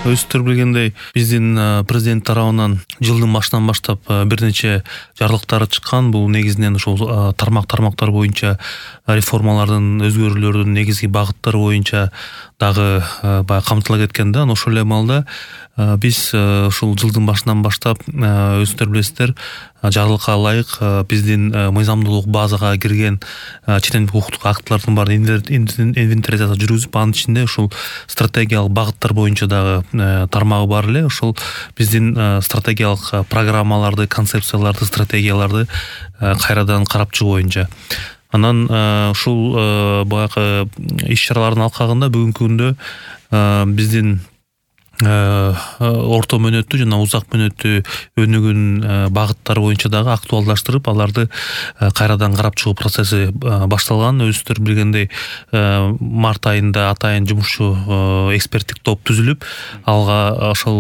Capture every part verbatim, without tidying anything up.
Өзүңүздөр билгендей, биздин президент тарабынан жылдын башынан баштап бир нече жарлыктар чыккан. Бул негизинен ошол тармак-тармактар боюнча реформалардын, өзгөрүүлөрдүн негизги багыттары боюнча дагы баягы камтыла кеткен да. Ошол эле маалда биз ушул жылдын башынан баштап өзүңүздөр билесиздер, жарлыкка ылайык биздин мыйзамдуулук базага кирген чет элдик укуктук актылардын баарын инвентаризация жүргүзүп, анын ичинде ушул стратегиялык багыттар боюнча дагы тармагы бар эле. Ошол биздин стратегиялык программаларды, концепцияларды, стратегияларды кайрадан карап чыгуу боюнча. Анан ушул баягы иш-чаралардын алкагында бүгүнкү күндө биздин орто мөөнөттүү жана узак мөөнөттүү өнүгүүн багыттары боюнча дагы актуалдаштырып, аларды кайрадан карап чыгуу процесси башталган. Өзүңүздөр билгендей, март айында атайын жумушчу эксперттик топ түзүлүп, алга ошол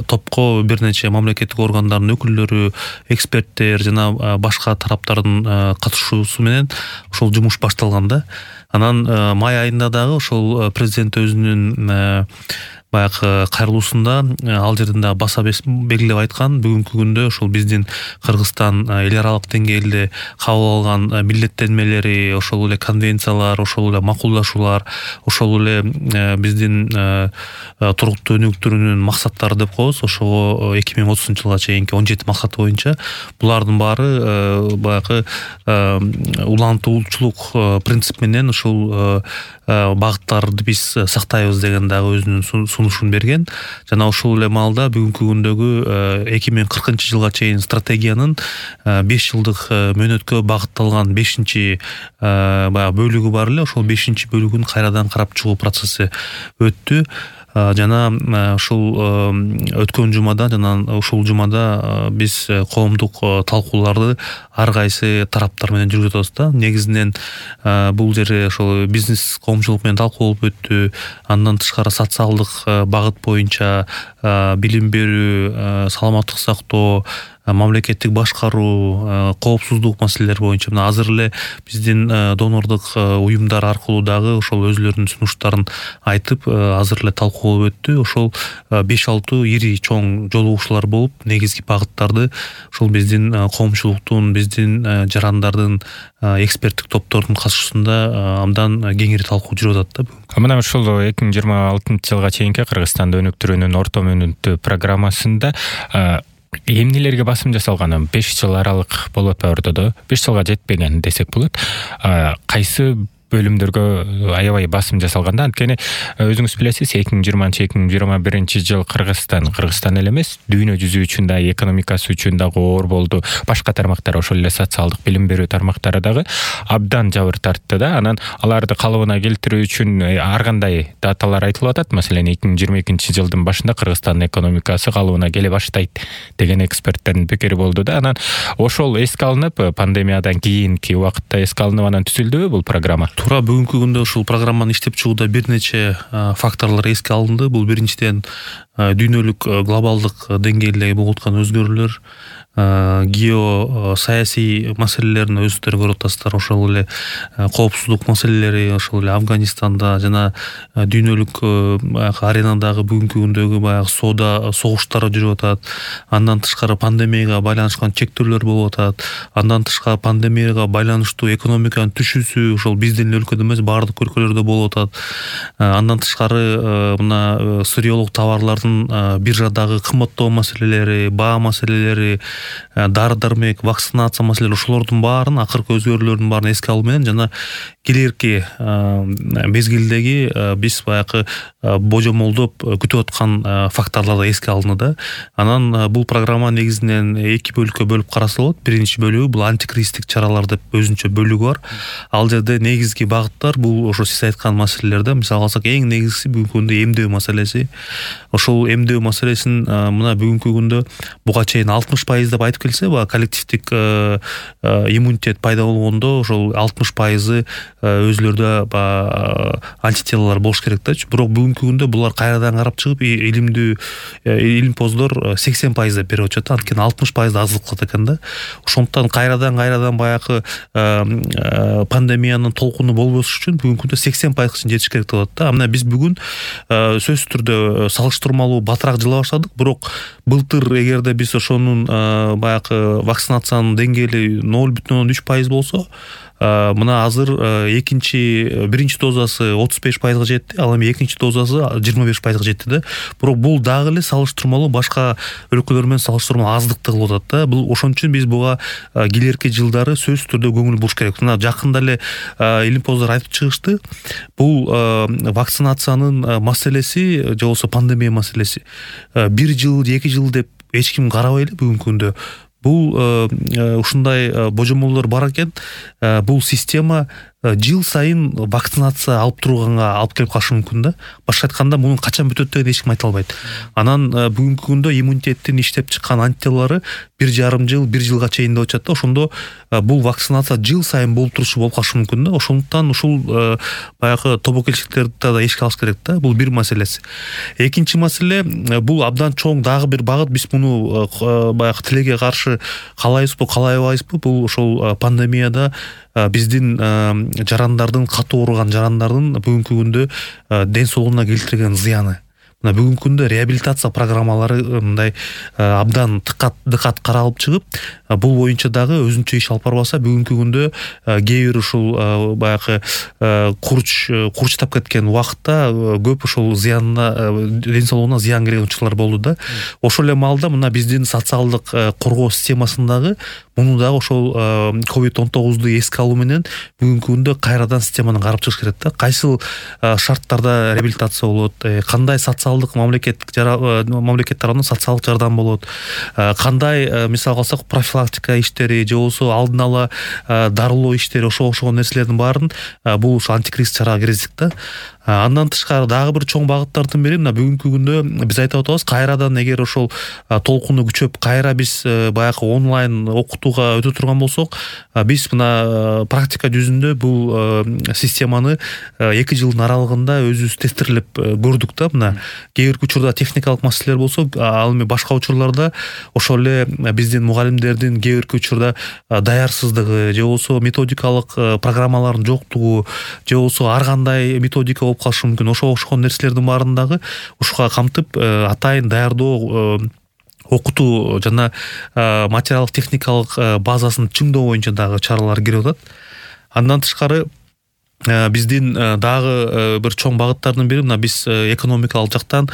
топко бир нече мамлекеттик органдардын өкүлдөрү, эксперттер жана башка тараптардын катышуусу менен ошол жумуш башталган да. Анан май айында дагы ошол президент өзүнүн баягы кайрылуусунда ал жерден дагы баса белгилеп айткан, бүгүнкү күндө ошол биздин Кыргызстан эл аралык деңгээлде кабыл алган милдеттенмелери, ошол эле конвенциялар, ошол эле макулдашуулар, ошол эле биздин туруктуу өнүктүрүүнүн максаттары деп коебуз. Ошого эки миң отузунчу жылга чейинки он жети максат боюнча булардын баары баягы улантуучулук принцип менен ушул багыттарды биз сактайбыз деген дагы өзүнүн сунушун берген. Жана ошол эле маалда бүгүнкү күндөгү эки миң кыркынчы жылга чейин стратегиянын беш жылдык мөөнөткө багытталган бешинчи баягы бөлүгү бар эле. Ошол бешинчи бөлүгүн кайрадан карап чыгуу процесси өттү. Жана ушул өткөн жумада жана ушул жумада биз коомдук талкууларды ар кайсы тараптар менен жүргүзүп атабыз да. Негизинен бул жери ошол бизнес коомчулук менен талкуулуп өттү. Андан тышкары социалдык багыт боюнча билим берүү, саламаттык сактоо, мамлекеттик башкаруу, коопсуздук маселелери боюнча мына азыр эле биздин донордук уюмдар аркылуу дагы ошол өзүлөрүнүн сунуштарын айтып, азыр эле талкуулап өттү. Ошол беш алты ири чоң жолугушуулар болуп, негизги багыттарды ошол биздин коомчулуктун, биздин жарандардын, эксперттик топтордун катышуусунда абдан кеңири талкуу жүрүп атат да. Мына ушул эки миң жыйырма алтынчы жылга чейинки Кыргызстанды өнүктүрүүнүн орто мөөнөттүү программасында эмнелерге басым жасалган? беш жыл аралык болуп атпайбы ортодо? беш жылга жетпеген десек болот. Кайсы бөлүмдөргө аябай басым жасалганда, анткени өзүңүз билесиз, эки миң жыйырманчы эки миң жыйырма биринчи жыл Кыргызстан, Кыргызстан эле эмес, дүйнө жүзү үчүн да, экономикасы үчүн дагы оор болду. Башка тармактар, ошол эле социалдык, билим берүү тармактары дагы абдан жабыр тартты да. Анан аларды калыбына келтирүү үчүн ар кандай даталар айтылып атат. Маселен, эки миң жыйырма экинчи жылдын башында Кыргызстандын экономикасы калыбына келе баштайт деген эксперттердин пикири болду да. Анан ошол эске алынып, пандемиядан кийинки убакытта эске алынып, анан түзүлдүбү бул программа? Туура, бүгүнкү күндө ушул программаны иштеп чыгууда бир нече факторлор эске алынды. Бул биринчиден дүйнөлүк глобалдык деңгээлдеги болуп аткан өзгөрүүлөр, геосаясий маселелерин өзүңүздөр көрүп атасыздар. Ошол эле коопсуздук маселелери, ошол эле Афганистанда жана дүйнөлүк аренадагы бүгүнкү күндөгү баягы соода согуштар жүрүп атат. Андан тышкары пандемияга байланышкан чектөөлөр болуп атат. Андан тышкары пандемияга байланыштуу экономиканын түшүүсү ошол биздин өлкөдө эмес, баардык өлкөлөрдө болуп атат. Андан тышкары мына сырьеолук товарлардын биржадагы кымбаттоо маселелери, баа маселелери, дары-дармек, вакцинация маселелери, ошолордун баарын, акыркы өзгөрүүлөрдүн баарын эске алуу менен жана келерки мезгилдеги биз баягы божомолдоп күтүп аткан факторларды эске алынды да. Анан бул программа негизинен эки бөлүккө бөлүп караса болот. Биринчи бөлүгү бул антикризистик чаралар деп өзүнчө бөлүгү бар. Ал жерде негизги багыттар бул ошо сиз айткан маселелерде. Мисалга алсак, эң негизгиси бүгүнкү күндө эмдөө маселеси. Ошол эмдөө маселесин мына бүгүнкү күндө буга чейин алтымыш пайыз деп айтып келсе, баягы коллективдик иммунитет пайда болгондо ошол алтымыш пайызы өзүлөрдө баягы антителолор болуш керек да. Бирок бүгүнкү күндө булар кайрадан карап чыгып, илимдүү илимпоздор сексен пайыз деп берип атышат. Анткени алтымыш пайызды аздык кылат экен да. Ошондуктан кайрадан кайрадан баягы пандемиянын толкуну болбош үчүн бүгүнкү күндө сексен пайызга чейин жетиш керек деп атат да. Мына биз бүгүн сөзсүз түрдө салыштырмалуу батыраак жыла баштадык, бирок былтыр эгерде биз ошонун баягы вакцинациянын деңгээли ноль бүтүн ондон үч пайыз болсо, мына азыр экинчи биринчи дозасы отуз беш пайызга жетти, ал эми экинчи дозасы жыйырма беш пайызга жетти да. Бирок бул дагы эле салыштырмалуу башка өлкөлөр менен салыштырмалуу аздыкты кылып атат да. Бул ошон үчүн биз буга келерки жылдары сөзсүз түрдө көңүл буруш керек. Мына жакында эле илимпоздор айтып чыгышты. Бул вакцинациянын маселеси же болбосо пандемия маселеси бир жыл, эки жыл деп эч ким карабай эле бүгүнкү күндө. Бул ушундай божомолдор бар экен. Бул система жыл сайын вакцинация алып турганга алып келип калышы мүмкүн да. Башка айтканда, мунун качан бүтөт деген эч ким айта албайт. Анан бүгүнкү күндө иммунитеттин иштеп чыккан антителолору бир жарым жыл, бир жылга чейин деп атышат да. Ошондо бул вакцинация жыл сайын болуп турушу болуп калышы мүмкүн да. Ошондуктан ушул баягы тобокелчиликтерди да эске алыш керек да. Бул бир маселеси. Экинчи маселе, бул абдан чоң дагы бир багыт. Биз муну баягы тилекке каршы каалайбызбы, каалайбайбызбы? Бул ошол пандемияда биздин жарандардын, катуу ооруган жарандардын бүгүнкү күндө ден соолугуна келтирген зыяны. Мына бүгүнкү күндө реабилитация программалары мындай абдан дыкат дыкат каралып чыгып, бул боюнча дагы өзүнчө иш алып барбаса, бүгүнкү күндө кээ бир ушул баягы курч курчтап кеткен убакытта көп ушул зыянына, ден соолугуна зыян келген учурлар болду да. Ошол эле маалда мына биздин социалдык коргоо системасындагы муну дагы ошол ковид он тогузду эске алуу менен бүгүнкү күндө кайрадан системаны карап чыгыш керек да. Кайсыл шарттарда реабилитация болот, кандай социалдык мамлекеттик мамлекет тарабынан социалдык жардам болот, кандай мисал алсак профилактика иштери же болбосо алдын ала дарылоо иштери, ошо окшогон нерселердин баарын бул ушу антикризис чарага киргиздик да. Андан тышкары дагы бир чоң багыттардын бири мына бүгүнкү күндө биз айтып атабыз, кайрадан эгер ошол толкуну күчөп кайра биз баягы онлайн окутууга өтө турган болсок, биз мына практика жүзүндө бул системаны эки жылдын аралыгында өзүбүз тестирлеп көрдүк да. Мына кээ бир учурда техникалык маселелер болсо, ал эми башка учурларда ошол эле биздин мугалимдердин кээ бир учурда даярсыздыгы же болбосо методикалык программалардын жоктугу же болбосо ар кандай методика болуп калышы мүмкүн. Ошо окшогон нерселердин баарын дагы ушуга камтып, атайын даярдоо, окутуу жана материалдык техникалык базасын чыңдоо боюнча дагы чаралар кирип атат. Андан тышкары биздин дагы бир чоң багыттардын бири мына биз экономикалык жактан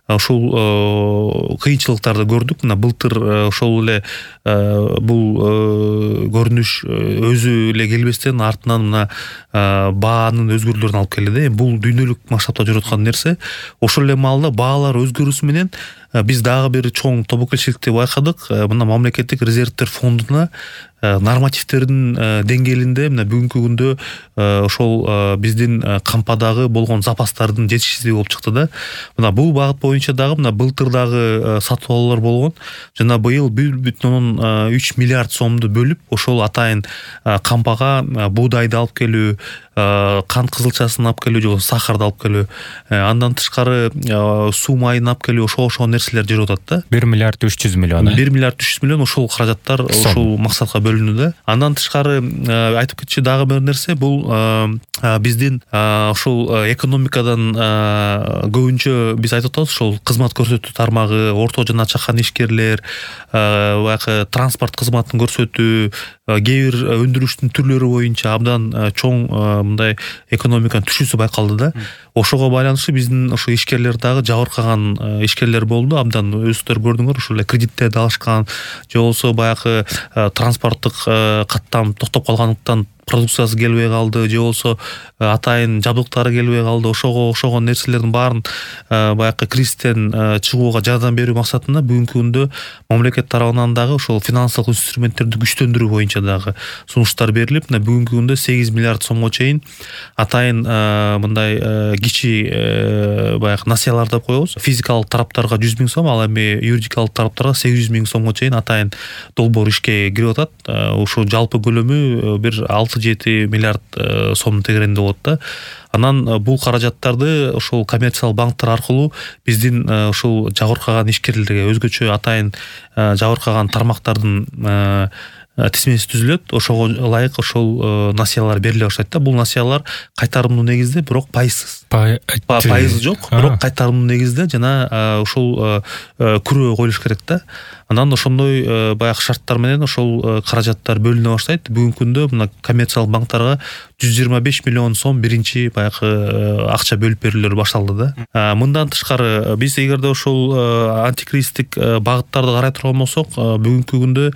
ушул кыйынчылыктарды көрдүк. Мына былтыр ошол эле бул көрүнүш өзү эле келбестен артынан мына баанын өзгөрүүлөрүнө алып келди да. Бул дүйнөлүк масштабта жүрүп аткан нерсе. Ошол эле маалда баалар өзгөрүүсү менен биз дагы бир чоң тобокелчиликти байкадык. Мына мамлекеттик резервдер фондуна нормативтердин деңгээлинде мына бүгүнкү күндө ошол биздин кампадагы болгон запастардын жетишсиздиги болуп чыкты да. Мына бул багыт боюнча дагы мына былтыр дагы сатып алуулар болгон. Жана быйыл бир бүтүн ондон үч миллиард сомду бөлүп, ошол атайын кампага буудайды алып келүү, кант кызылчасын алып келүү же болбосо сахарды алып келүү, андан тышкары суу майын алып келүү, ошо ошо нерселер жүрүп атат да. бир миллиард үч жүз миллион. бир миллиард үч жүз миллион ошол каражаттар ошол максатка бөлүндү да. Андан тышкары айтып кетчү дагы бир нерсе, бул биздин ошол экономикадан көбүнчө биз айтып атабыз, ошол кызмат көрсөтүү тармагы, орто жана чакан ишкерлер, баягы транспорт кызматын көрсөтүү, кээ бир өндүрүштүн түрлөрү боюнча абдан чоң мындай экономиканын түшүүсү байкалды да. Ошого байланыштуу биздин ошо ишкерлер дагы жабыркаган ишкерлер болду. Абдан өзүңөр көрдүңөр, ошол эле кредиттерди алышкан же болбосо баягы транспорттук каттам токтоп калгандыктан продукциясы келбей калды же болбосо атайын жабдыктары келбей калды, ошого окшогон нерселердин баарын баягы кризистен чыгууга жардам берүү максатында бүгүнкү күндө мамлекет тарабынан дагы ошол финансылык инструменттерди күчтөндүрүү боюнча дагы сунуштар берилип, мына бүгүнкү күндө сегиз миллиард сомго чейин атайын мындай кичи баягы насыялар деп коебуз. Физикалык тараптарга жүз миң сом, ал эми юридикалык тараптарга сегиз жүз миң сомго чейин атайын долбоор ишке кирип атат. Ошо жалпы көлөмү бир алты жети миллиард сомдун тегерегинде болот да. Анан бул каражаттарды ошол коммерциялык банктар аркылуу биздин ушул жабыркаган ишкерлерге, өзгөчө атайын жабыркаган тармактардын тизмеси түзүлөт. Ошого ылайык ошол насыялар бериле баштайт да. Бул насыялар кайтарымдуу негизде, бирок пайызсыз. Пайызы жок, бирок кайтарымдуу негизде жана ушул күрөө коюлуш керек да. Анан ошондой баягы шарттар менен ошол каражаттар бөлүнө баштайт. Бүгүнкү күндө мына коммерциялык банктарга жүз жыйырма беш миллион сом биринчи баягы акча бөлүп берүүлөр башталды да. Мындан тышкары биз эгерде ошол антикризистик багыттарды карай турган болсок, бүгүнкү күндө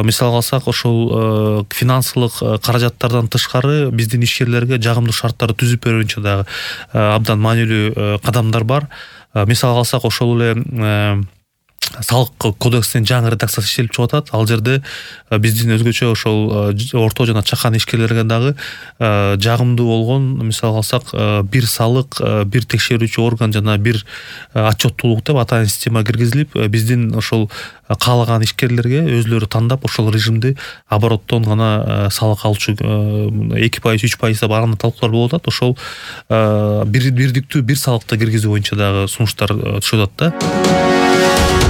мисалга алсак, ошол финансылык каражаттардан тышкары биздин ишкерлерге жагымдуу шарттарды түзүп берүү боюнча дагы абдан маанилүү кадамдар бар. Мисалга алсак, ошол эле салык кодекстин жаңы редакциясы иштелип чыгып атат. Ал жерде биздин өзгөчө ошол орто жана чакан ишкерлерге дагы жагымдуу болгон, мисалга алсак, бир салык, бир текшерүүчү орган жана бир отчеттуулук деп атайын система киргизилип, биздин ошол каалаган ишкерлерге өзлөрү тандап ошол режимди обороттон гана салык алчу эки пайыз, үч пайыз деп ар кандай талкуулар болуп атат. Ошол бир бирдиктүү бир салыкты киргизүү боюнча дагы сунуштар түшүп атат да.